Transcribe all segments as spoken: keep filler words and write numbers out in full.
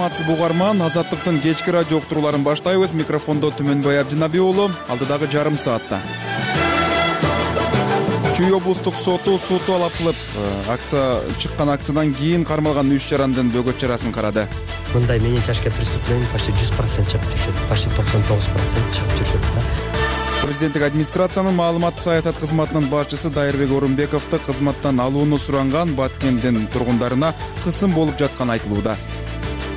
саламатсызбы угарман, Азаттыктын кечки радио уктурууларын баштайбыз. Микрофондо Түмөнбай Абдинаби уулу. Алдыдагы жарым саатта Чүй облустук соту суу талап кылып, акция чыккан акциядан кийин кармалган үч жарандын бөгөт чарасын карады. Мындай менен тяжкое преступление почти жүз процент чыгып түшөт, почти токсон тогуз процент чыгып түшөт да. Президенттик администрациянын маалыматтык саясат кызматынын башчысы Дайырбек Орунбековду кызматтан алууну суранган Баткендин тургундарына кысым болуп жатканы айтылууда.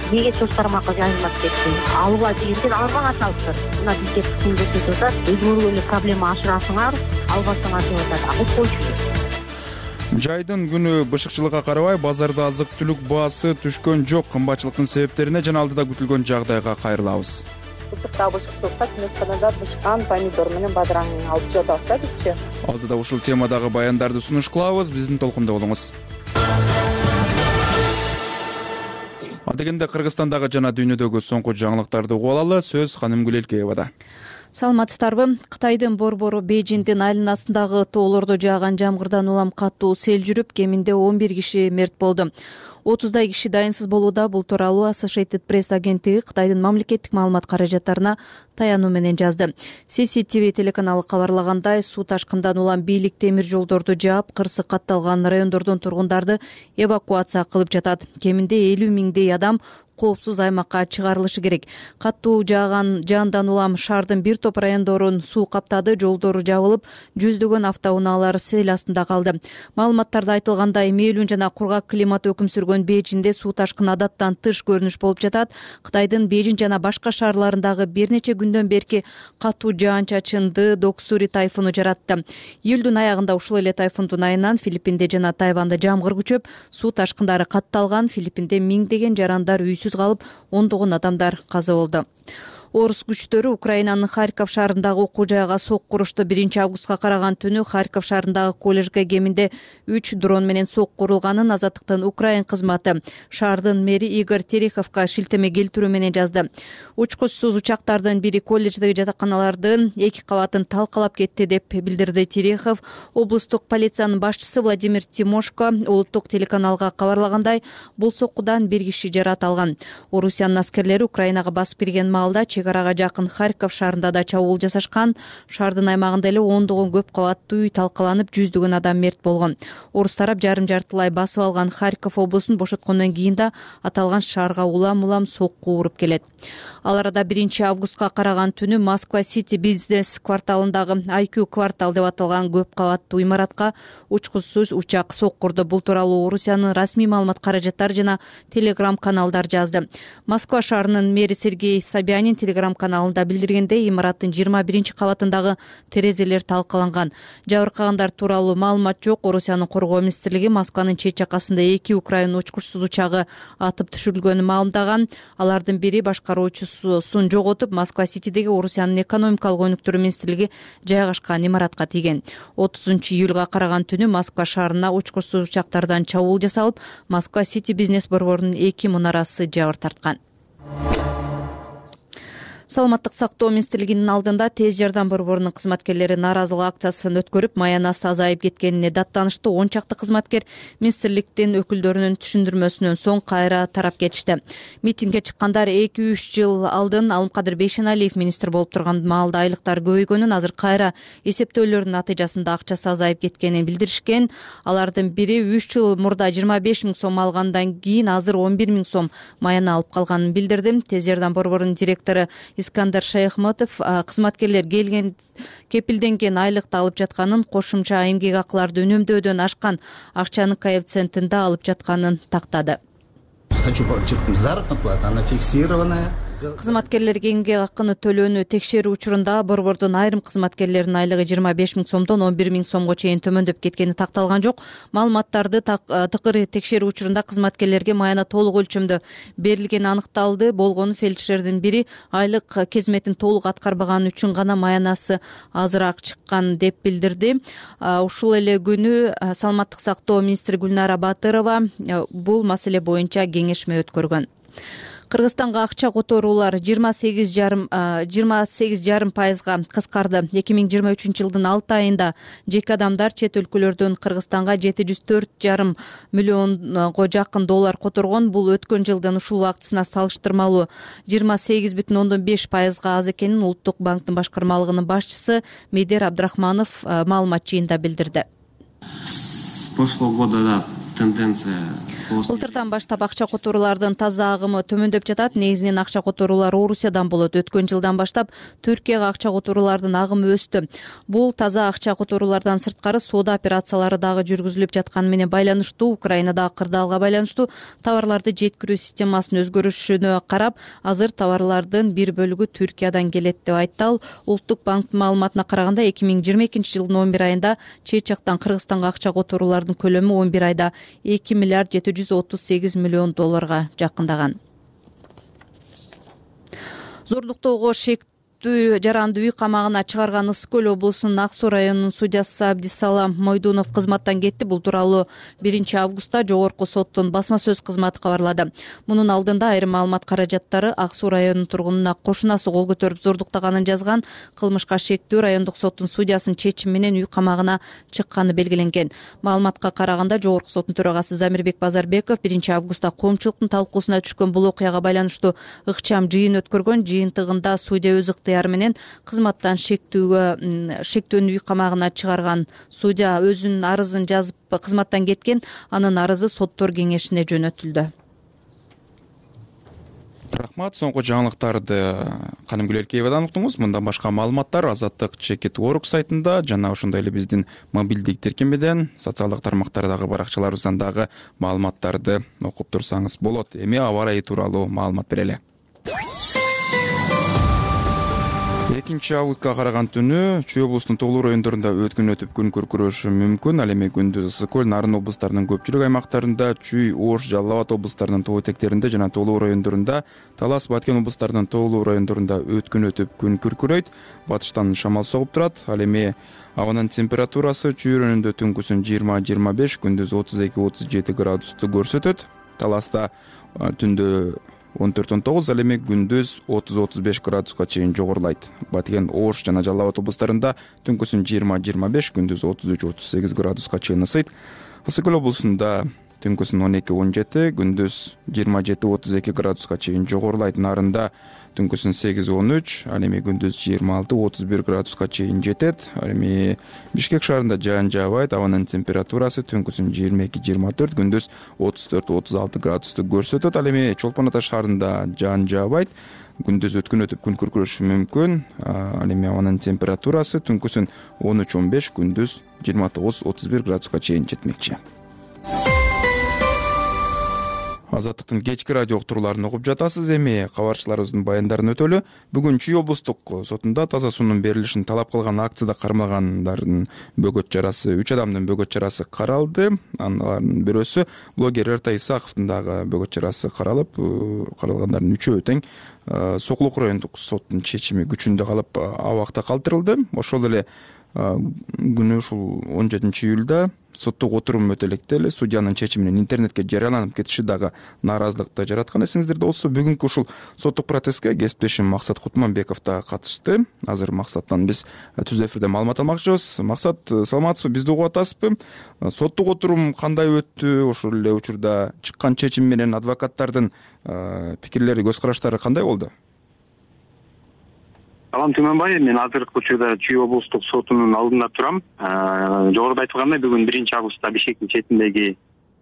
Неге чоң тармакка жазылмап кетти? Алууга дегенден албаңа салыптыр. Мына бизге кысым көрсөтүп атат. Өзүңөр эле проблема ашырасыңар, албасаңар деп атат. Алып койчу. Жайдын күнү бышыкчылыкка карабай, базарда азык-түлүк баасы түшкөн жок. Кымбатчылыктын себептерине жана алдыда күтүлгөн жагдайга кайрылабыз. Бышыкта бышыктыкта чөмөчканада бышкан помидор менен бадыраң алып жатабыз да бизчи. Алдыда ушул темадагы баяндарды сунуш кылабыз. Биздин толкунда болуңуз. Адегенде Кыргызстандагы жана дүйнөдөгү соңку жаңылыктарды угуп алалы. Сөз Ханымгүл Элкеевада. Саламатсыздарбы? Кытайдын борбору Бейжиңдин айланасындагы тоолордо жааган жамгырдан улам катуу сел жүрүп, кеминде он бир киши мерт болду. отуздай киши дайынсыз болууда. Бул тууралуу Associated Press агенттиги Кытайдын мамлекеттик маалымат каражаттарына таянуу менен жазды. си си ти ви телеканалы кабарлагандай, суу ташкындан улам бийлик темир жолдорду жаап, кырсы катталган райондордон тургундарды эвакуация кылып жатат. Кеминде элүү миңдей адам коопсуз аймакка чыгарылышы керек. Катуу жааган жаандан улам шаардын бир топ райондорун суу каптады, жолдору жабылып, жүздөгөн автоунаалар сел астында калды. Маалыматтарда айтылгандай, мээлүүн жана кургак климат өкүм сүргөн Бейжиңде суу ташкыны адаттан тыш көрүнүш болуп жатат. Кытайдын Бейжиң жана башка шаарларындагы бир нече күндөн берки катуу жаан-чачынды Доксури тайфуну жаратты. Июлдун аягында ушул эле тайфундун айынан Филиппинде жана Тайванда жамгыр күчөп, суу ташкындары катталган. Филиппинде миңдеген жарандар үйсүз калып, ондогон адамдар каза болду. Орус күчтөрү Украинанын Харьков шаарындагы окуу жайга сокку урушту. биринчи августка караган түнү Харьков шаарындагы колледжге кеминде үч дрон менен сокку урулганын Азаттыктын Украин кызматы шаардын мэри Игорь Тереховго шилтеме келтирүү менен жазды. Учкучсуз учактардын бири колледждеги жатаканалардын эки кабатын талкалап кетти деп билдирди Терехов. Облустук полициянын башчысы Владимир Тимошко улуттук телеканалга кабарлагандай, бул соккудан бир киши жарат алган. Орусиянын аскерлери Украинага басып кирген маалда чек арага жакын Харьков шаарында да чабуул жасашкан. Шаардын аймагында эле ондогон көп кабаттуу үй талкаланып, жүздөгөн адам мерт болгон. Орус тарап жарым жартылай басып алган Харьков облусун бошоткондон кийин да аталган шаарга улам-улам сокку уруп келет. Ал арада биринчи августка караган түнү Москва Сити бизнес кварталындагы ай кью квартал деп аталган көп кабаттуу имаратка учкучсуз учак соккурду. Бул тууралуу Орусиянын расмий маалымат каражаттары жана телеграм каналдар жазды. Москва шаарынын мэри Сергей Собянин телеграм каналында билдиргендей, имараттын жыйырма биринчи кабатындагы терезелер талкаланган. Жабыркагандар тууралуу маалымат жок. Орусиянын коргоо министрлиги Москванын чет жакасында эки Украин учкучсуз учагы атып түшүрүлгөнүн маалымдаган. Алардын бири башкаруучусун жоготуп, Москва Ситидеги Орусиянын экономикалык өнүктүрүү министрлиги жайгашкан имаратка тийген. отузунчу июлга караган түнү Москва шаарына учкучсуз учактардан чабуул жасалып, Москва Сити бизнес борборунун эки мунарасы жабыр тарткан. Саламаттык сактоо министрлигинин алдында тез жардам борборунун кызматкерлери нааразылык акциясын өткөрүп, маянасы азайып кеткенине даттанышты. он чакты кызматкер министрликтин өкүлдөрүнүн түшүндүрмөсүнөн соң кайра тарап кетишти. Митингге чыккандар эки үч жыл алдын Алымкадыр Бейшеналиев министр болуп турган маалда айлыктар көбөйгөнүн, азыр кайра эсептөөлөрдүн натыйжасында акчасы азайып кеткенин билдиришкен. Алардын бири үч жыл мурда жыйырма беш миң сом алгандан кийин азыр он бир миң сом маяна алып калганын билдирди. Тез жардам борборунун директору Искандар Шайхматов кызматкерлер келген кепилденген айлыкты алып жатканын, кошумча эмгек акыларды үнөмдөөдөн ашкан акчанын коэффициентинде алып жатканын тактады. Хочу подчеркнуть, заработная плата, она фиксированная. Кызматкерлерге эмгек акыны төлөөнү текшерүү учурунда борбордун айрым кызматкерлеринин айлыгы жыйырма беш миң сомдон он бир миң сомго чейин төмөндөп кеткени такталган жок. Маалыматтарды тыкыр текшерүү учурунда кызматкерлерге маяна толук өлчөмдө берилгени аныкталды. Болгону фельдшердин бири айлык кезметин толук аткарбаганы үчүн гана маянасы азыраак чыккан деп билдирди. Ушул эле күнү саламаттык сактоо министри Гүлнара Батырова бул маселе боюнча кеңешме өткөргөн. Кыргызстанга акча которуулар жыйырма сегиз жарым жыйырма сегиз жарым пайызга кыскарды. эки миң жыйырма үчүнчү жылдын алты айында жеке адамдар чет өлкөлөрдөн Кыргызстанга жети жүз төрт жарым миллионго жакын доллар которгон. Бул өткөн жылдын ушул убактысына салыштырмалуу жыйырма сегиз бүтүн ондон беш пайызга аз экенин Улуттук банктын башкармалыгынын башчысы Медер Абдрахманов маалымат жыйында билдирди. С прошлого года тенденция. Былтырдан баштап акча которуулардын таза агымы төмөндөп жатат. Негизинен акча которуулар Орусиядан болот. Өткөн жылдан баштап Түркияга акча которуулардын агымы өстү. Бул таза акча которуулардан сырткары соода операциялары дагы жүргүзүлүп жатканы менен байланыштуу. Украинадагы кырдаалга байланыштуу товарларды жеткирүү системасынын өзгөрүшүнө карап, азыр товарлардын бир бөлүгү Түркиядан келет деп айтты ал. Улуттук банктын маалыматына караганда эки миң жыйырма экинчи жылдын он бир айында чет жактан Кыргызстанга акча которуулардын көлөмү он бир айда эки миллиард жети жүз отуз сегиз миллион долларга жакындаган. Зордуктоого шектүү жаранды үй камагына чыгарган Ысык Көл облусунун Ак Суу районунун судьясы Абдисалам Мойдунов кызматтан кетти. Бул тууралуу биринчи августта жогорку соттун басма сөз кызматы кабарлады. Мунун алдында айрым маалымат каражаттары Ак Суу районунун тургунуна кошунасы кол көтөрүп зордуктаганын жазган. Кылмышка шектүү райондук соттун судьясынын чечими менен үй камагына чыкканы белгиленген. Маалыматка караганда жогорку соттун төрагасы Замирбек Базарбеков биринчи августта коомчулуктун талкуусуна түшкөн бул окуяга байланыштуу ыкчам жыйын өткөргөн. Жыйынтыгында судья өз менен кызматтан шектүүгө шектүүнү үй камагына чыгарган. Судья өзүнүн арызын жазып кызматтан кеткен. Анын арызы соттор кеңешине жөнөтүлдү. Рахмат. Соңку жаңылыктарды Канымгүл Эркеевадан уктуңуз. Мындан башка маалыматтар Азаттык чекит орг сайтында жана ошондой эле биздин мобилдик тиркемеден, социалдык тармактардагы баракчаларыбыздан дагы маалыматтарды окуп турсаңыз болот. Эми аба ырайы тууралуу маалымат берели. экинчи августка караган түнү Чүй облусунун Тоолуу райондорунда өткүн өтүп күн күркүрөшү мүмкүн. Ал эми күндүз Ысык Көл, Нарын облустарынын көпчүлүк аймактарында, Чүй, Ош, Жалал Абад облустарынын тоо этектеринде жана Тоолуу райондорунда, Талас, Баткен облустарынын Тоолуу райондорунда өткүн өтүп күн күркүрөйт. Батыштан шамал согуп турат. Ал эми абанын температурасы Чүй районунда түнкүсүн жыйырма жыйырма беш, күндүз отуз эки отуз жети градусту көрсөтөт. Таласта түндө он төрт он тогуз, ал эми күндүз отуз отуз беш градуска чейин жогорулайт. Баткен, Ош жана Жалал Абад облустарында түнкүсүн жыйырма жыйырма беш, күндүз отуз үч отуз сегиз градуска чейин ысыйт. Ысык Көл облусунда түнкүсүн он эки он жети, күндүз жыйырма жети отуз эки градуска чейин жогорулайт. Нарында түнкүсүн сегиз он үч, ал эми күндүз жыйырма алты отуз бир градуска чейин жетет. Ал эми Бишкек шаарында жаан жаабайт. Абанын температурасы түнкүсүн жыйырма эки жыйырма төрт, күндүз отуз төрт отуз алты градусту көрсөтөт. Ал эми Чолпон Ата шаарында жаан жаабайт. Күндүз өткүн өтүп күн күркүрөшү мүмкүн. Ал эми абанын температурасы түнкүсүн он үч он беш, күндүз жыйырма тогуз отуз бир градуска чейин жетмекчи. Азаттыктын кечки радио уктурууларын угуп жатасыз. Эми кабарчыларыбыздын баяндарын өтөлү. Бүгүн Чүй облустук сотунда таза суунун берилишин талап кылган акцияда кармалгандардын бөгөт чарасы, үч адамдын бөгөт чарасы каралды. Анын бирөөсү блогер Эртай Исаковдун дагы бөгөт чарасы каралып, каралгандардын үчөө тең Сокулук райондук соттун чечими күчүндө калып абакта калтырылды. Ошол эле күнү ушул он жетинчи июлда соттук отурум өтө электе эле судьянын чечиминин интернетке жарыяланып кетиши дагы нааразылыкты жараткан. Эсиңиздерде болсо, бүгүнкү ушул соттук процесске кесиптешим Максат Кутманбеков да катышты. Азыр Максаттан биз түз эфирде маалымат алмакчыбыз. Максат, саламатсызбы? Бизди угуп атасызбы? Соттук отурум кандай өттү? Ошол эле учурда чыккан чечим менен адвокаттардын пикирлери, көз караштары кандай болду? Салам Түймөнбай, мен азыркы учурда Чүй облустук сотунун алдында турам. Жогоруда айтылгандай, бүгүн биринчи августта Бишкектин четиндеги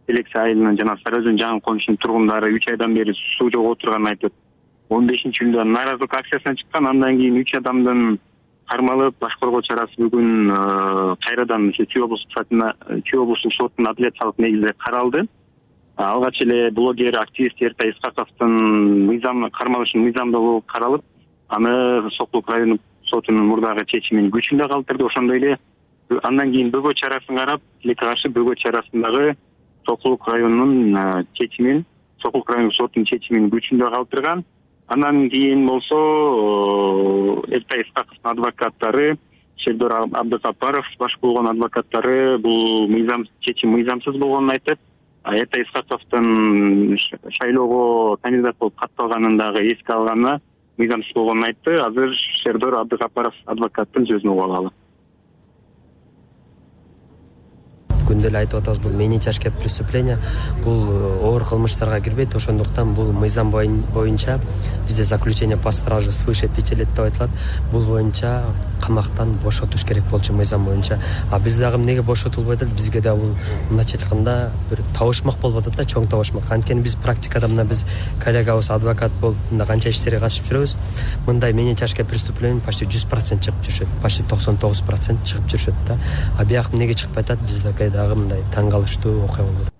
Элексе айылынын жана Сары Өзөн жаңы конушунун тургундары үч айдан бери суу жок отурганын айтып, он бешинчи июлда нааразылык акциясына чыккан. Андан кийин үч адамдын кармалып, баш коргоо чарасы бүгүн кайрадан Чүй облустук сотуна, Чүй облустук сотунун апелляциялык негизде каралды. Алгач эле блогер, активист Эртай Исаковдун мыйзам кармалышын мыйзамдуу каралып, аны Сокулук райондук сотунун мурдагы чечимин күчүндө калтырды. Ошондой эле андан кийин бөгөт чарасын карап, тилекке каршы бөгөт чарасындагы Сокулук районунун чечимин, Сокулук райондук сотунун чечимин күчүндө калтырган. Андан кийин болсо Эртай Исаковдун адвокаттары, Шердор Абдыкапаров баш болгон адвокаттары бул мыйзам чечим мыйзамсыз болгонун айтып, Эртай Исхаковдун шайлоого кандидат болуп катталганын дагы эске алганы мыйзамсыз болгонун айтты. Азыр Шердор Абдыгапаров адвокаттын сөзүн угуп алалы. Күндө эле айтып атабыз, бул менее тяжкое преступление, бул оор кылмыштарга кирбейт. Ошондуктан бул мыйзам боюнча бизде заключение по страже свыше пяти лет деп айтылат. Бул боюнча камактан бошотуш керек болчу мыйзам боюнча. А биз дагы эмнеге бошотулбай атат? Бизге да бул мындайча айтканда бир табышмак болуп атат да, чоң табышмак. Анткени биз практикада мына биз коллегабыз адвокат болуп мында канча иштерге катышып жүрөбүз. Мындай менее тяжкое преступление почти жүз процент чыгып жүрүшөт. Почти токсон тогуз процент чыгып жүрүшөт да. А бияк эмнеге чыкпай атат? Бизде дагы мындай таң калыштуу окуя болду.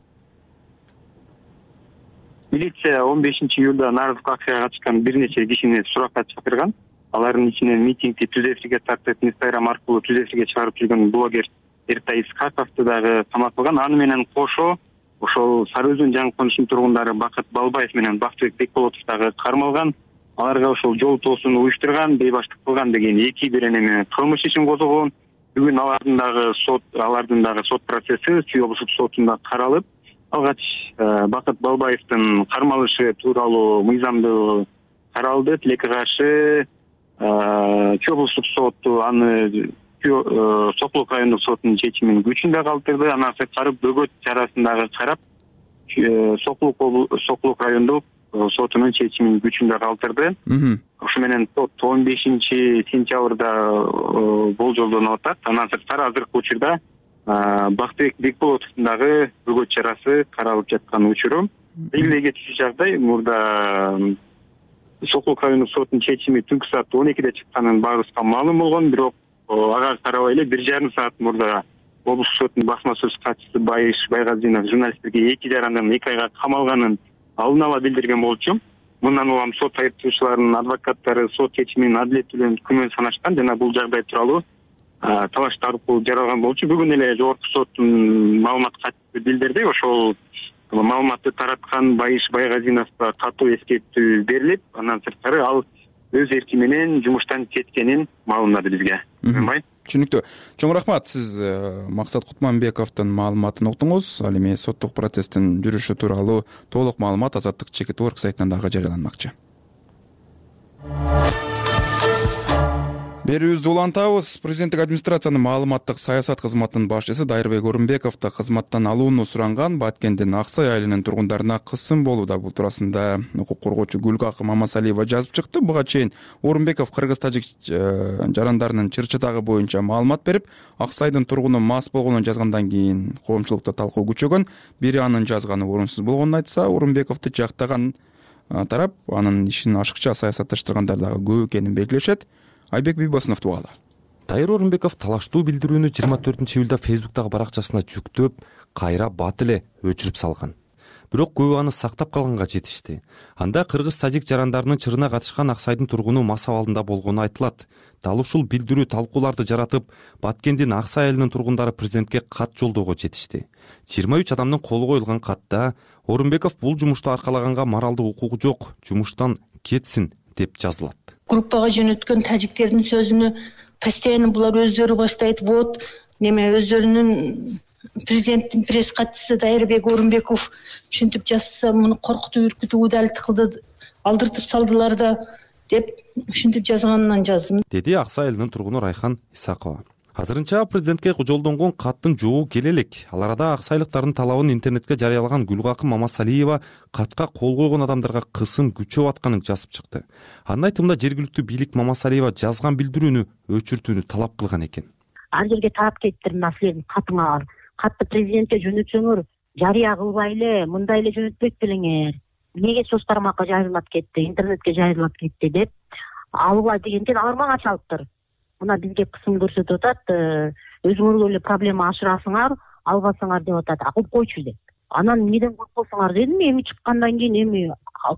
Милиция он бешинчи июлда Наразовка акцияга катышкан бир нече кишини суракка чакырган. Алардын ичинен митингди түз эфирге тартып, Инстаграм аркылуу түз эфирге чыгарып жүргөн блогер Эртай Исхаковду дагы каматылган. Аны менен кошо ошол Сары Өзөн жаңы конушунун тургундары Бакыт Балбаев менен Бактыбек Бекболотов дагы кармалган. Аларга ошол жол тоосуну уюштурган, бейбаштык кылган деген эки беренеме кылмыш ишин козгогон. Бүгүн алардын дагы сот алардын дагы сот процесси Чүй облустук сотунда каралып, алгач Бакыт Балбаевдин кармалышы тууралуу мыйзамдуу каралды. Тилекке каршы Чүй облустук соту аны Сокулук райондук сотунун чечимин күчүндө калтырды. Андан сырткары бөгөт чарасын дагы карап, Сокулук райондук сотунун чечимин күчүндө калтырды. Ошо менен сот он бешинчи сентябрда болжолдонуп атат. Андан сырткары азыркы учурда Бактыбек Бекболотовдун дагы бөгөт чарасы каралып жаткан учуру. Белгилей кетчү жагдай, мурда Сокулук райондук сотунун чечими түнкү саат он экиде чыкканын баарыбызга маалым болгон, бирок ага карабай эле бир жарым саат мурда облустук соттун басма сөз катчысы Байыш Байгазинов журналисттерге эки жарымдан эки айга камалганын алдын ала билдирген болчу. Мындан улам сот айыптоочуларынын адвокаттары сот чечимин адилеттүүлүгүн күмөн санашкан жана бул жагдай тууралуу талаш аркылуу жаралган болчу. Бүгүн эле жогорку соттун маалымат катчысы билдирди. Ошол маалыматты тараткан Байыш Байгазиновго катуу эскертүү берилип, андан сырткары ал өз эрки менен жумуштан кеткенин маалымдады бизге. Түшүнүктүү. Чоң рахмат, сиз Максат Кутманбековдун маалыматын уктуңуз. Ал эми соттук процесстин жүрүшү тууралуу толук маалымат Азаттык Чекит Орг сайтынан дагы жарыяланмакчы. Берүүбүздү улантабыз. Президенттик администрациянын маалыматтык саясат кызматынын башчысы Дайырбек Орунбековду кызматтан алууну суранган Баткендин Аксай айылынын тургундарына кысым болууда. Бул туурасында укук коргоочу Гүлгакы Мамасалиева жазып чыкты. Буга чейин Орунбеков кыргыз-тажик жарандарынын чыр-чатагы боюнча маалымат берип, Аксайдын тургуну мас болгонун жазгандан кийин коомчулукта талкуу күчөгөн. Бири анын жазганы орунсуз болгонун айтса, Орунбековду жактаган тарап анын ишин ашыкча саясатташтыргандар дагы көп экенин белгилешет. Айбек Бийбосунов тугалы. Дайыр Орунбеков талаштуу билдирүүнү жыйырма төртүнчү июлда Фейсбуктагы баракчасына жүктөп, кайра бат эле өчүрүп салган. Бирок көбү аны сактап калганга жетишти. Анда кыргыз-тажик жарандарынын чырына катышкан Аксайдын тургуну мас абалында болгону айтылат. Дал ушул билдирүү талкууларды жаратып, Баткендин Аксай айылынын тургундары президентке кат жолдоого жетишти. жыйырма үч адамдын колу коюлган катта Орунбеков бул жумушту аркалаганга моралдык укугу жок, жумуштан кетсин деп жазылат. Группага жөнөткөн тажиктердин сөзүнө постоянно булар өздөрү баштайт. Вот неме өздөрүнүн президенттин пресс катчысы Дайырбек Орунбеков ушинтип жазса, муну коркутуп үркүтүп удалить кылды, алдыртып салдылар да деп ушинтип жазганынан жаздым, деди Аксай айылынын тургуну Райхан Исакова. Азырынча президентке жолдонгон каттын жоо келе элек. Ал арада аксайлыктардын талабын интернетке жарыялаган Гүлгакы Мамасалиева катка кол койгон адамдарга кысым күчөп атканын жазып чыкты. Анын айтымында жергиликтүү бийлик Мамасалиева жазган билдирүүнү өчүртүүнү талап кылган экен. Ар жерге таап кетиптир, мына силердин катыңар. Катты президентке жөнөтсөңөр, жарыя кылбай эле, мындай эле жөнөтпөйт белеңер. Эмнеге соц тармакка жайылып кетти, интернетке жайылып кетти деп албай дегенден алар мага чалыптыр. Мына бизге кысым көрсөтүп атат, өзүңөр эле проблема ашырасыңар, албасаңар деп атат. Акыл койчу деп. Анан эмнеден коркосуңар дедим, эми чыккандан кийин эми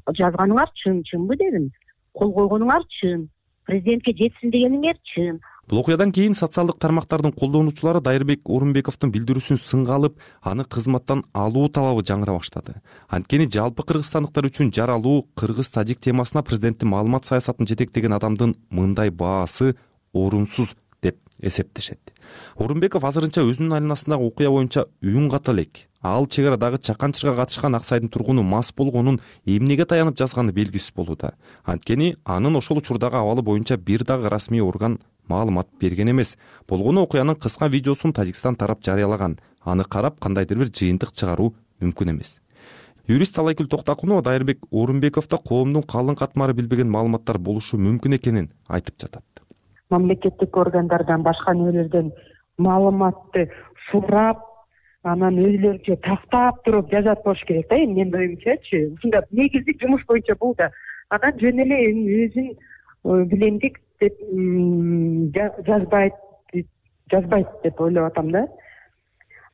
жазганыңар чын, чынбы дедим. Кол койгонуңар чын, президентке жетсин дегениңер чын. Бул окуядан кийин социалдык тармактардын колдонуучулары Дайырбек Орунбековдун билдирүүсүн сынга алып, аны кызматтан алуу талабы жаңыра баштады. Анткени жалпы кыргызстандыктар үчүн жаралуу кыргыз-тажик темасына президенттин маалымат саясатын жетектеген адамдын мындай баасы орунсуз деп эсептешет. Орунбеков азырынча өзүнүн айланасындагы окуя боюнча үн ката элек. ал чек арадагы чаканчырга катышкан Аксайдын тургуну мас болгонун эмнеге таянып жазганы белгисиз болууда. Анткени анын ошол учурдагы абалы боюнча бир дагы расмий орган маалымат берген эмес. Болгону окуянын кыска видеосун Тажикстан тарап жарыялаган. Аны карап кандайдыр бир жыйынтык чыгаруу мүмкүн эмес. Юрист Талайкүл Токтакунова Дайырбек Орунбековдо коомдун калың катмары билбеген маалыматтар болушу мүмкүн экенин айтып жатат. Мамлекеттик органдардан башка нелерден маалыматты сурап, анан өздөрүнчө тактап туруп жазат болуш керек да. Эми менин оюмчачы, ушунда негиздик жумуш боюнча бул да. Анан жөн эле өзүн билемдик деп жазбайт, жазбайт деп ойлоп атам да.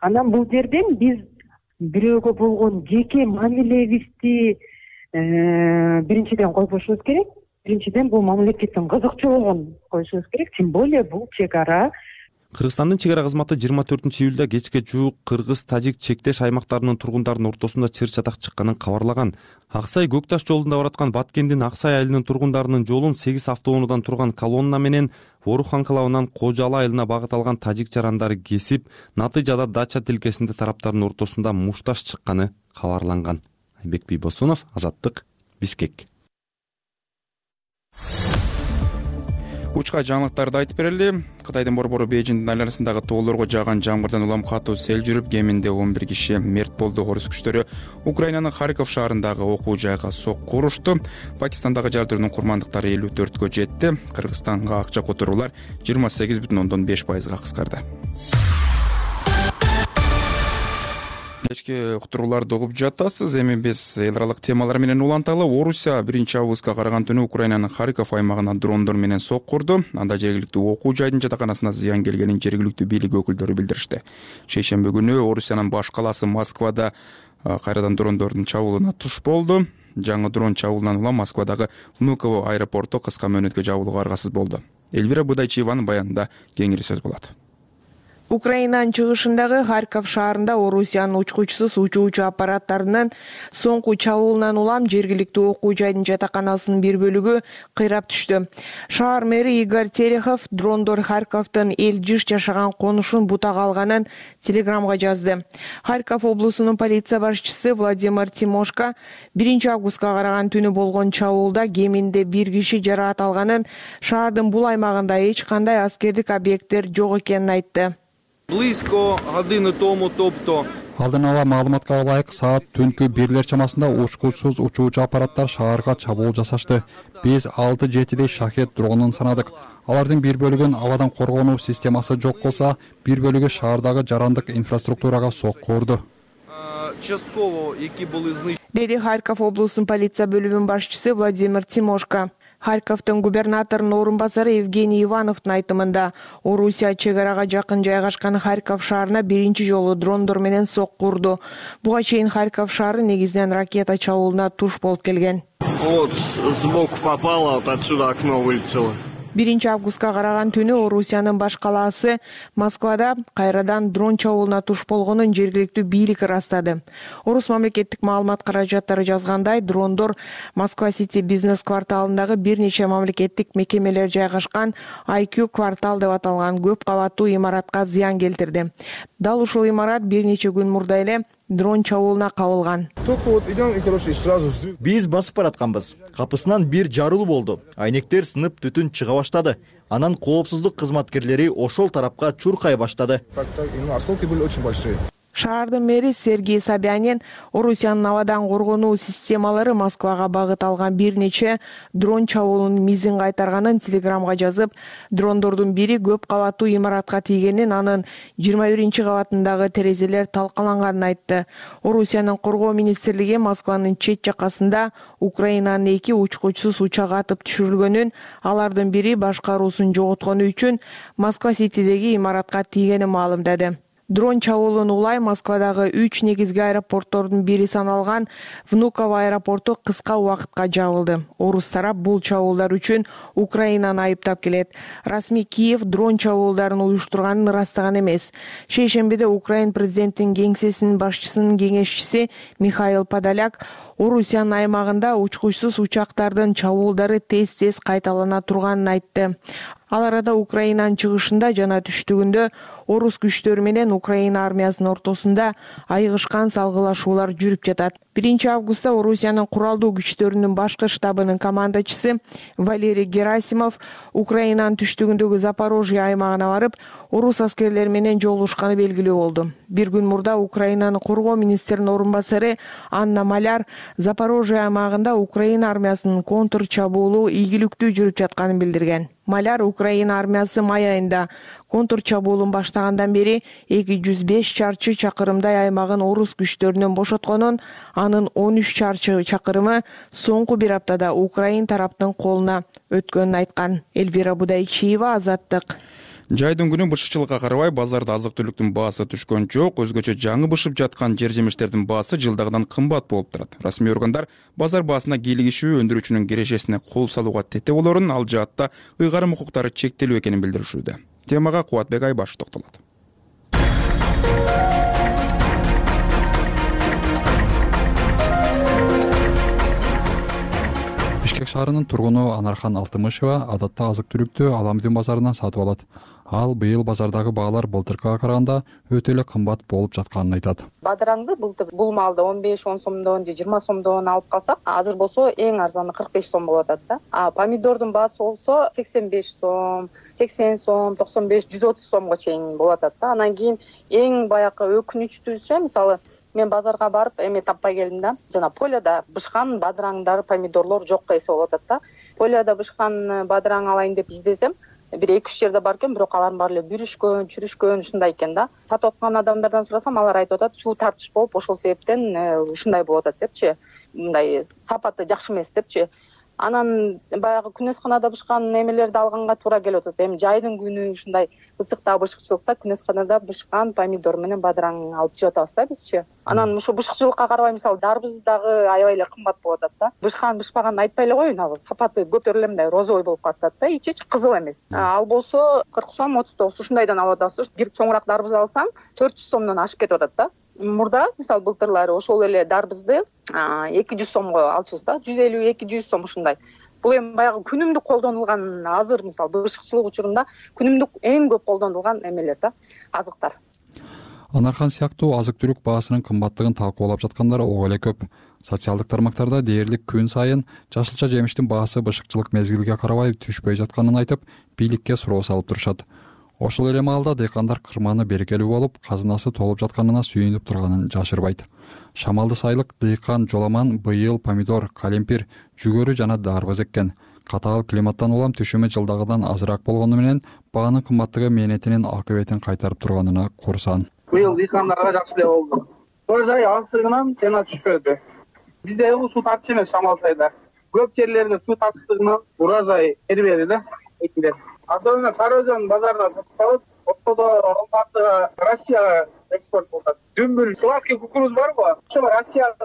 Анан бул жерден биз бирөөгө болгон жеке мамилебизди биринчиден койбошубуз керек. Биринчиден бул мамлекеттин кызыкчылыгын коюшубуз керек. Тем более бул чек ара. Кыргызстандын чек ара кызматы жыйырма төртүнчү июлда кечке жуук кыргыз-тажик чектеш аймактарынын тургундарынын ортосунда чыр-чатак чыкканын кабарлаган. Аксай Көк Таш жолунда бараткан Баткендин Аксай айылынын тургундарынын жолун сегиз автоунуудан турган колонна менен Орух анклавынан Кожалы айылына багыт алган тажик жарандары кесип, натыйжада Дача тилкесинде тараптардын ортосунда мушташ чыкканы кабарланган. Айбек Бийбосунов, Азаттык, Бишкек. Учка жаңылыктарды айтып берели. Кытайдын борбору Бейжиңдин айланасындагы тоолорго жааган жамгырдан улам катуу сел жүрүп, кеминде он бир киши мерт болду. Орус күчтөрү Украинанын Харьков шаарындагы окуу жайга сокку урушту. Пакистандагы жардыруунун курмандыктары элүү төрткө жетти. Кыргызстанга акча которуулар жыйырма сегиз бүтүн ондон беш пайызга кыскарды. Кечки уктурууларды угуп жатасыз. Эми биз эл аралык темалар менен уланталы. Орусия биринчи августка караган түнү Украинанын Харьков аймагына дрондор менен сокку урду. Анда жергиликтүү окуу жайдын жатаканасына зыян келгенин жергиликтүү бийлик өкүлдөрү билдиришти. Шейшемби күнү Орусиянын баш калаасы Москвада кайрадан дрондордун чабуулуна туш болду. Жаңы дрон чабуулунан улам Москвадагы Внуково аэропорту кыска мөөнөткө жабылууга аргасыз болду. Эльвира Будайчиеванын баянында кеңири сөз болот. Украинанын чыгышындагы Харьков шаарында Орусиянын учкучсуз учуучу аппараттарынын соңку чабуулунан улам жергиликтүү окуу жайдын жатаканасынын бир бөлүгү кыйрап түштү. Шаар мэри Игорь Терехов дрондор Харьковдун эл жыш жашаган конушун бутага алганын телеграмга жазды. Харьков облусунун полиция башчысы Владимир Тимошко биринчи августка караган түнү болгон чабуулда кеминде бир киши жараат алганын, шаардын бул аймагында эч кандай аскердик объекттер жок экенин айтты. Близко годины тому, тобто Алдын ала маалыматка ылайык саат түнкү бирлер чамасында учкучсуз учуучу аппараттар шаарга чабуул жасашты. Биз алты жетидей шахет дронун санадык. Алардын бир бөлүгүн абадан коргонуу системасы жок болсо, бир бөлүгү шаардагы жарандык инфраструктурага сокку урду. Деди Харьков облусунун полиция бөлүмүнүн башчысы Владимир Тимошко. Харьковдун губернаторунун орун басары Евгений Ивановдун айтымында Орусия чек арага жакын жайгашкан Харьков шаарына биринчи жолу дрондор менен сокку урду. Буга чейин Харьков шаары негизинен ракета чабуулуна туш болуп келген. Вот сбоку попало, вот отсюда окно вылетело. биринчи августка караган түнү Орусиянын баш калаасы Москвада кайрадан дрон чабуулуна туш болгонун жергиликтүү бийлик ырастады. Орус мамлекеттик маалымат каражаттары жазгандай, дрондор Москва Сити бизнес кварталындагы бир нече мамлекеттик мекемелер жайгашкан ай кью квартал деп аталган көп кабаттуу имаратка зыян келтирди. Дал ушул имарат бир нече күн мурда эле дрон чабуулуна кабылган. Биз басып баратканбыз. Капысынан бир жарылуу болду. Айнектер сынып, түтүн чыга баштады. Анан коопсуздук кызматкерлери ошол тарапка чуркай баштады. Шаардын мэри Сергей Собянин Орусиянын абадан коргонуу системалары Москвага багыт алган бир нече дрон чабуулунун мизин кайтарганын телеграмга жазып, дрондордун бири көп кабаттуу имаратка тийгенин, анын жыйырма биринчи кабатындагы терезелер талкаланганын айтты. Орусиянын коргоо министрлиги Москванын чет жакасында Украинанын эки учкучсуз учак атып түшүрүлгөнүн, алардын бири башкаруусун жоготкону үчүн Москва Ситидеги имаратка тийгенин маалымдады. Дрон чабуулун улай Москвадагы үч негизги аэропорттордун бири саналган Внуково аэропорту кыска убакытка жабылды. Орус тарап бул чабуулдар үчүн Украинаны айыптап келет. Расмий Киев дрон чабуулдарын уюштурганын ырастаган эмес. Шейшембиде Украин президентинин кеңсесинин башчысынын кеңешчиси Михаил Подоляк Орусиянын аймагында учкучсуз учактардын чабуулдары тез-тез кайталана турганын айтты. Ал арада Украинанын чыгышында жана түштүгүндө орус күчтөрү менен Украина армиясынын ортосунда айыгышкан салгылашуулар жүрүп жатат. биринчи августта Орусиянын куралдуу күчтөрүнүн башкы штабынын командачысы Валерий Герасимов Украинанын түштүгүндөгү Запорожье аймагына барып, орус аскерлери менен жолугушканы белгилүү болду. Бир күн мурда Украинанын коргоо министринин орун басары Анна Маляр Запорожье аймагында Украина армиясынын контр чабуулу ийгиликтүү жүрүп жатканын билдирген. Маляр Украина армиясы май айында контр чабуулун баштагандан бери эки жүз беш чарчы чакырымдай аймагын орус күчтөрүнөн бошотконун, анын он үч чарчы чакырымы соңку бир аптада Украин тараптын колуна өткөнүн айткан. Эльвира Будайчиева, Азаттык. Жайдын күнү бышыкчылыкка карабай базарда азык-түлүктүн баасы түшкөн жок, өзгөчө жаңы бышып жаткан жер-жемиштердин баасы жылдагыдан кымбат болуп турат. Расмий органдар базар баасына кийлигишүү өндүрүүчүнүн кирешесине кол салууга тете болорун, ал жаатта ыйгарым укуктары чектелүү экенин билдиришүүдө. Темага Кубатбек Айбашев токтолот. Бишкек шаарынын тургуну Анархан Алтымышева адатта азык-түлүктү Аламдин базарынан сатып алат. Ал быйыл базардагы баалар былтыркыга караганда өтө эле кымбат болуп жатканын айтат. Бадыраңды былтыр бул малды он беш он сомдон же жыйырма сомдон алып калсак, азыр болсо эң арзаны кырк беш сом болуп атат да. А помидордун баасы болсо сексен беш сом, сексен сом, токсон беш, жүз отуз сомго чейин болуп атат да. Анан кийин эң баягы өкүнүчтүүсү, мисалы мен базарга барып эме таппай келдим да. Жана поледа бышкан бадыраңдар, помидорлор жок эсе болуп атат да. Поледа бышкан бадыраң алайын деп издесем, бир эки үч жерде бар экен, бирок алардын баары эле бүрүшкөн, чүрүшкөн ушундай экен да. Сатып аткан адамдардан сурасам, алар айтып атат, суу тартыш болуп, ошол себептен ушундай болуп атат депчи. Мындай сапаты жакшы эмес депчи. Анан баягы күнөсканада бышкан эмелерди алганга туура келип атат. Эми жайдын күнү ушундай ысыкта, бышыкчылыкта күнөсканада бышкан помидор менен бадыраң алып жеп атабыз да бизчи. Анан ушу бышыкчылыкка карабай, мисалы дарбыз дагы аябай эле кымбат болуп атат да. Бышкан бышпаганын айтпай эле коеюн, ал сапаты көтөрүлө мындай розовый болуп калат да, ичи кызыл эмес. Ал болсо кырк сом, отуз тогуз ушундайдан алып атабыз. Бир чоңураак дарбыз алсаң төрт жүз сомдон ашып кетип атат да. Мурда мисалы былтырлары ошол эле дарбызды эки жүз сомго алчубуз да, жүз элүү эки жүз сом ушундай. Бул эми баягы күнүмдүк колдонулган, азыр мисалы бышыкчылык учурунда күнүмдүк эң көп колдонулган эмелер да, азыктар. Анархан сыяктуу азык-түлүк баасынын кымбаттыгын талкуулап жаткандар ого эле көп. Социалдык тармактарда дээрлик күн сайын жашылча жемиштин баасы бышыкчылык мезгилге карабай түшпөй жатканын айтып, бийликке суроо салып турушат. Ошол эле маалда дыйкандар кырманы берекелүү болуп, казынасы толуп жатканына сүйүнүп турганын жашырбайт. Шамалды сайылык дыйкан Жоламан быйыл помидор, калемпир, жүгөрү жана дарбыз эккен. Катаал климаттан улам түшүмү жылдагыдан азыраак болгону менен баанын кымбаттыгы мээнетинин акыбетин кайтарып турганына курсан. Быйыл дыйкандарга жакшы эле болду. Урожай аздыгынан цена түшпөдү. Бизде суу тартыш эмес Шамал сайда. Көп жерлерде суу тартыштыгынан урожай бербеди да экилер. Особенно Сары Өзөн базарына сатып алып, ортодо Алматыга, Россияга экспорт болот. Дүмбүл сладкий кукуруз барбы? Ошо Россияга,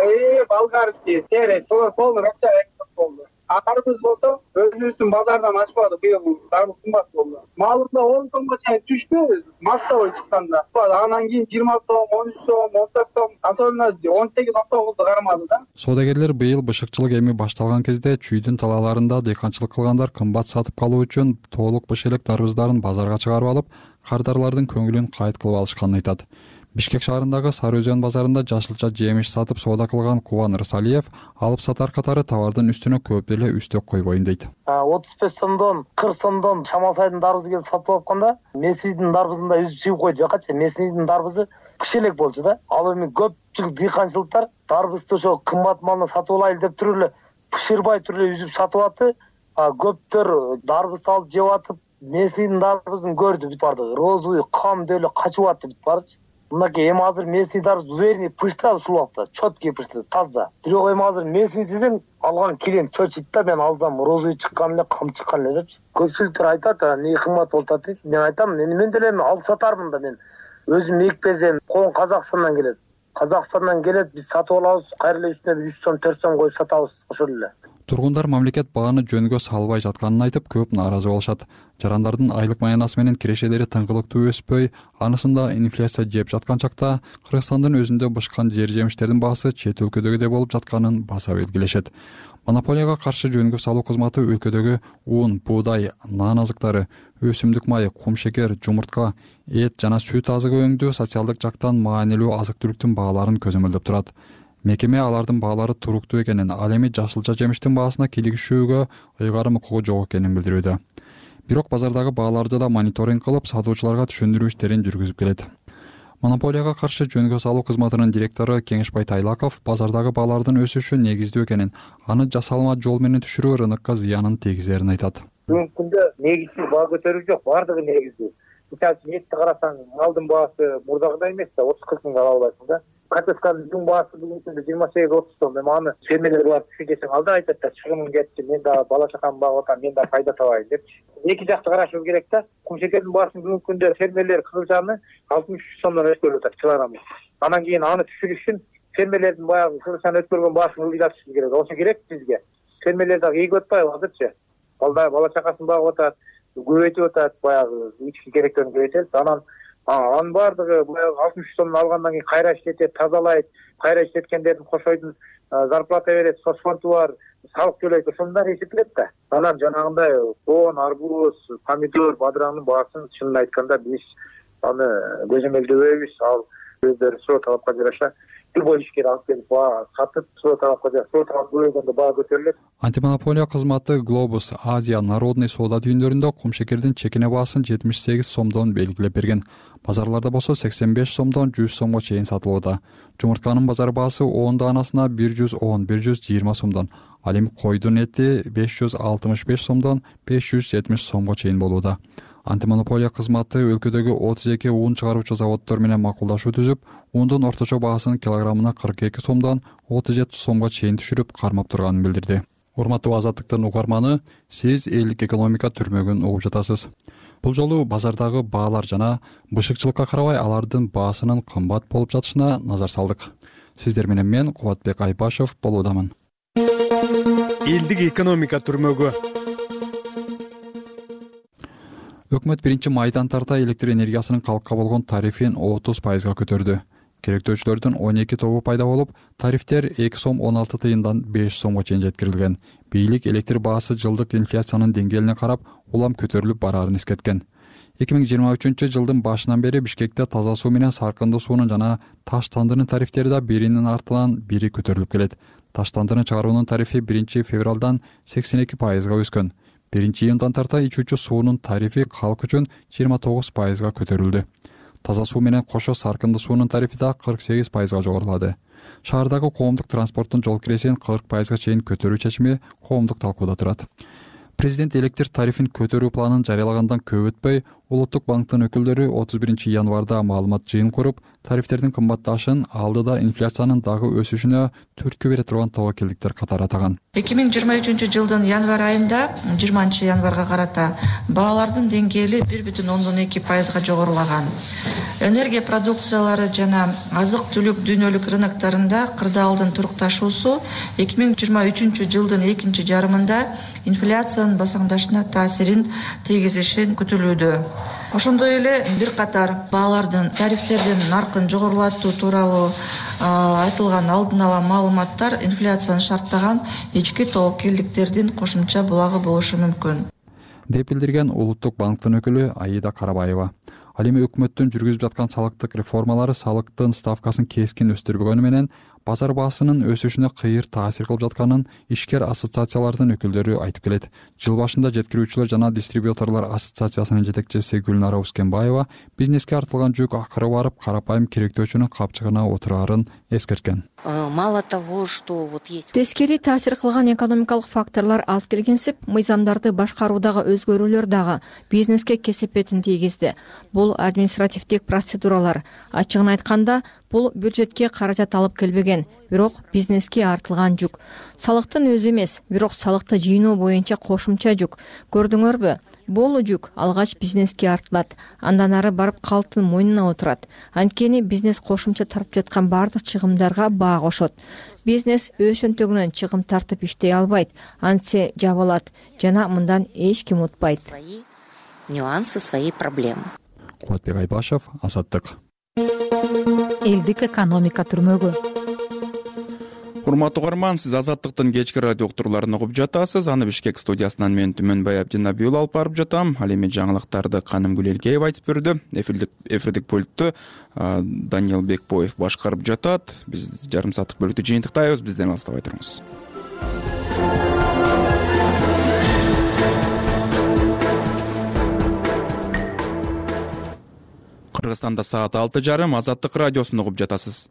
э, болгарский, терес, солар полный Россияга экспорт болду. А дарбыз болсо өзүбүздүн базардан ачпады, быйыл дарбыз кымбат болду. Маалында он сомго чейин түштү, массовый чыкканда. Анан кийин жыйырма сом, он үч сом, он төрт сом, особенно он сегиз он тогузду кармады да. Соодагерлер быйыл бышыкчылык эми башталган кезде чүйдүн талааларында дыйканчылык кылгандар кымбат сатып калуу үчүн тоолук быш элек дарбыздарын базарга чыгарып алып, кардарлардын көңүлүн кайт кылып алышканын айтат. Бишкек шаарындагы Сары Өзөн базарында жашылча жемиш сатып соода кылган Кубан Рысалиев алып сатар катары товардын үстүнө көп деле үстөк койбойн дейт. отуз беш сомдон, кырк сомдон Шамал сайдын дарбызы келип сатып алганда, Меснийдин дарбызында үзүп чыгып койду жакачы. Меснийдин дарбызы кыш элек болчу да. Ал эми көпчүлүк дыйканчылыктар дарбызды ошо кымбат малына сатып алайлы деп туруп эле пышырбай туруп эле үзүп сатып атты. Көптөр дарбыз алып жеп атып, Меснийдин дарбызын көрдү бүт барды. Розовый кам деп эле качып атты бүт барчы. Мынакей эми азыр местный дарбыз уверенный пыштырат ушул убакта, четкий пыштырат, таза. Бирок эми азыр местный десең, алган клиент чочойт да, мен алсам розовый чыккан эле, кам чыккан эле депчи. Көпчүлүктөр айтат, эмне кымбат болуп атат дейт. Мен айтам, мен мен деле алып сатармын да, мен өзүм экпезем, кон Казакстандан келет. Казакстандан келет, биз сатып алабыз, кайра эле үстүнө жүз сом, төрт сом коюп сатабыз, ошол эле. Тургундар мамлекет бааны жөнгө салбай жатканын айтып көп нааразы болушат. Жарандардын айлык маянасы менен кирешелери тыңгылыктуу өспөй, анысында инфляция жеп жаткан чакта Кыргызстандын өзүндө бышкан жер жемиштердин баасы чет өлкөдөгүдөй болуп жатканын баса белгилешет. Монополияга каршы жөнгө салуу кызматы өлкөдөгү ун, буудай, нан азыктары, өсүмдүк майы, кум шекер, жумуртка, эт жана сүт азыгы өңдүү социалдык жактан маанилүү азык-түлүктүн бааларын көзөмөлдөп турат. Мекеме алардын баалары туруктуу экенин, ал эми жашылча жемиштин баасына кийлигишүүгө ыйгарым укугу жок экенин билдирүүдө. Бирок базардагы бааларды да мониторинг кылып, сатуучуларга түшүндүрүү иштерин жүргүзүп келет. Монополияга каршы жөнгө салуу кызматынын директору Кеңешбай Тайлаков базардагы баалардын өсүшү негиздүү экенин, аны жасалма жол менен түшүрүү рынокко зыянын тийгизерин айтат. Бүгүнкү күндө негиздүү баа көтөрүү жок, баардыгы негиздүү. Мисалы үчүн этти карасаң, малдын баасы мурдагыдай эмес да, отуз кырк миңге ала албайсың да. Картошканын жүн баасы бүгүнкү күндө жыйырма сегиз отуз сом. Эми аны фермерлер барып түшүн десең, ал да айтат да, чыгымым кетти, мен да бала чакамды багып атам, мен да пайда табайын депчи. Эки жакты карашыбыз керек да. Кум шекердин баасын бүгүнкү күндө фермерлер кызылчаны алтымыш үч сомдон өткөрүп атат килограммы. Анан кийин аны түшүрүш үчүн фермерлердин баягы кызылчаны өткөргөн баасын ылдыйтышыбыз керек. Ошо керек бизге. Фермерлер дагы ийгип атпайбы азырчы? Балда бала чакасын багып атат, көбөйтүп атат, баягы ички керектерин көбөйтөт. Анан анын баардыгы баягы алтымыш үч сомдон алгандан кийин кайра иштетет, тазалайт, кайра иштеткендердин кошойдун зарплата берет, соцфонду бар, салык төлөйт, ошондор эсептелет да. Анан жанагындай коон, арбуз, помидор, бадыраңдын баасын чынын айтканда биз аны көзөмөлдөбөйбүз. Ал өздөрү суроо талапка жараша любой ишкер алып келип баа сатып, суроо талапка жараша суроо талап көбөйгөндө баа көтөрүлөт. Антимонополия кызматы Глобус Азия народный соода түйүндөрүндө кум шекердин чекине баасын жетимиш сегиз сомдон белгилеп берген. Базарларда болсо сексен беш сомдон жүз сомго чейин сатылууда. Жумуртканын базар баасы он даанасына бир жүз он — бир жүз жыйырма сомдон, ал эми койдун эти беш жүз алтымыш беш сомдон беш жүз жетимиш сомго чейин болууда. Антимонополия кызматы өлкөдөгү отуз эки ун чыгаруучу заводдор менен макулдашуу түзүп, ундун орточо баасын килограммына кырк эки сомдон отуз жети сомго чейин түшүрүп кармап турганын билдирди. Урматтуу Азаттыктын угарманы, сиз элдик экономика түрмөгүн угуп жатасыз. Бул жолу базардагы баалар жана бышыкчылыкка карабай алардын баасынын кымбат болуп жатышына назар салдык. Сиздер менен мен Кубатбек Айбашев болуудамын. Элдик экономика түрмөгү. Өкмөт биринчи майдан тарта электр энергиясынын калкка болгон тарифин отуз пайызга көтөрдү. Керектөөчүлөрдүн он эки тобу пайда болуп, тарифтер эки сом он алты тыйындан беш сомго чейин жеткирилген. Бийлик электр баасы жылдык инфляциянын деңгээлине карап улам көтөрүлүп бараарын эскерткен. эки миң жыйырма үчүнчү жылдын башынан бери Бишкекте таза суу менен саркындуу суунун жана таш тандынын тарифтери да биринин артынан бири көтөрүлүп келет. Таш тандыны чыгаруунун тарифи биринчи февралдан сексен эки пайызга өскөн. биринчи июндан тарта ичүүчү суунун тарифи калк үчүн жыйырма тогуз пайызга көтөрүлдү. Таза суу менен кошо саркындуу суунун тарифи да кырк сегиз пайызга жогорулады. Шаардагы коомдук транспорттун жол киресин кырк пайызга чейин көтөрүү чечими коомдук талкууда турат. Президент электр тарифин көтөрүү планын жарыялагандан көп өтпөй, Улуттук банктын өкүлдөрү отуз биринчи январда маалымат жыйын куруп, тарифтердин кымбатташын, алдыда инфляциянын дагы өсүшүнө түрткү бере турган тобокелдиктер катары атаган. эки миң жыйырма үчүнчү жылдын январь айында жыйырманчы январга карата баалардын деңгээли бир бүтүн ондон эки пайызга жогорулаган. Энергия продукциялары жана азык-түлүк дүйнөлүк рыноктарында кырдаалдын турукташуусу эки миң жыйырма үчүнчү жылдын экинчи жарымында инфляциянын басаңдашына таасирин тийгизиши күтүлүүдө. Ошондой эле бир катар баалардын тарифтердин наркын жогорулатуу тууралуу айтылган алдын ала маалыматтар инфляцияны шарттаган ички тобокелдиктердин кошумча булагы болушу мүмкүн, деп билдирген Улуттук банктын өкүлү Аида Карабаева. Ал эми өкмөттүн жүргүзүп жаткан салыктык реформалары салыктын ставкасын кескин өстүрбөгөнү менен базар баасынын өсүшүнө кыйыр таасир кылып жатканын ишкер ассоциациялардын өкүлдөрү айтып келет. Жыл башында жеткирүүчүлөр жана дистрибьюторлор ассоциациясынын жетекчиси Гүлнара Ускенбаева бизнеске артылган жүк акыры барып карапайым керектөөчүнүн капчыгына отураарын эскерткен. Мало того, что вот есть тескери таасир кылган экономикалык факторлор аз келгенсип, мыйзамдарды башкаруудагы өзгөрүүлөр дагы бизнеске кесепетин тийгизди. Бул административдик процедуралар. Ачыгын айтканда, бул бюджетке каражат алып келбеген, бирок бизнеске артылган жүк. Салыктын өзү эмес, бирок салыкты жыйноо боюнча кошумча жүк. Көрдүңөрбү? бул жүк алгач бизнеске артылат, андан ары барып калктын мойнуна отурат. Анткени бизнес кошумча тартып жаткан бардык чыгымдарга баа кошот. Бизнес өз өнтөгүнөн чыгым тартып иштей албайт, антсе жабылат жана мындан эч ким утпайт. Нюансы, свои проблемы. Кубатбек Айбашев, Азаттык. Элдик экономика түрмөгү. Урматтуу угарман, сиз Азаттыктын кечки радио уктурууларын угуп жатасыз. Аны Бишкек студиясынан мен Түмөнбай Абдинабиул алып барып жатам. Ал эми жаңылыктарды Каным Гүлелкеева айтып берди. Эфирдик эфирдик пультту Даниил Бекбоев башкарып жатат. Биз жарым сааттык бөлүктү жыйынтыктайбыз. Бизден алыстабай туруңуз. Кыргызстанда саат алты жарым. Азаттык радиосун угуп жатасыз.